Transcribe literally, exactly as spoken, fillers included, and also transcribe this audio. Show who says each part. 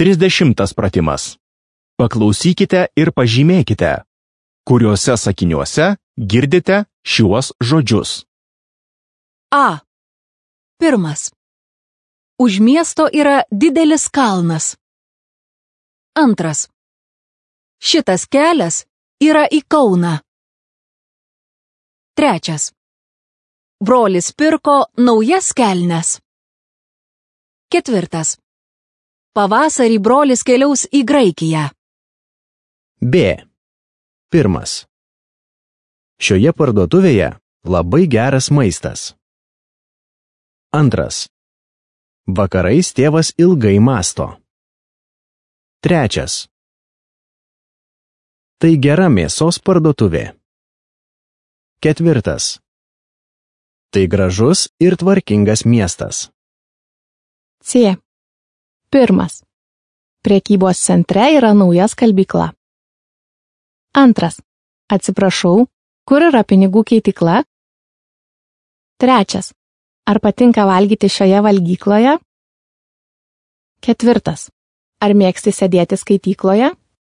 Speaker 1: Trisdešimtas pratimas. Paklausykite ir pažymėkite, kuriuose sakiniuose girdite šiuos žodžius.
Speaker 2: A. Pirmas. Už miesto yra didelis kalnas. Antras. Šitas kelias yra į Kauną. Trečias. Brolis pirko naujas kelnes. Ketvirtas. Pavasarį brolis keliaus į Graikiją.
Speaker 3: B. Pirmas. Šioje parduotuvėje labai geras maistas. Antras. Vakarais tėvas ilgai mąsto. Trečias. Tai gera mėsos parduotuvė. Ketvirtas. Tai gražus ir tvarkingas miestas.
Speaker 4: C. Pirmas. Prekybos centre yra nauja skalbykla. Antras. Atsiprašau, kur yra pinigų keitykla? Trečias. Ar patinka valgyti šioje valgykloje? Ketvirtas. Ar mėgsti sėdėti skaitykloje?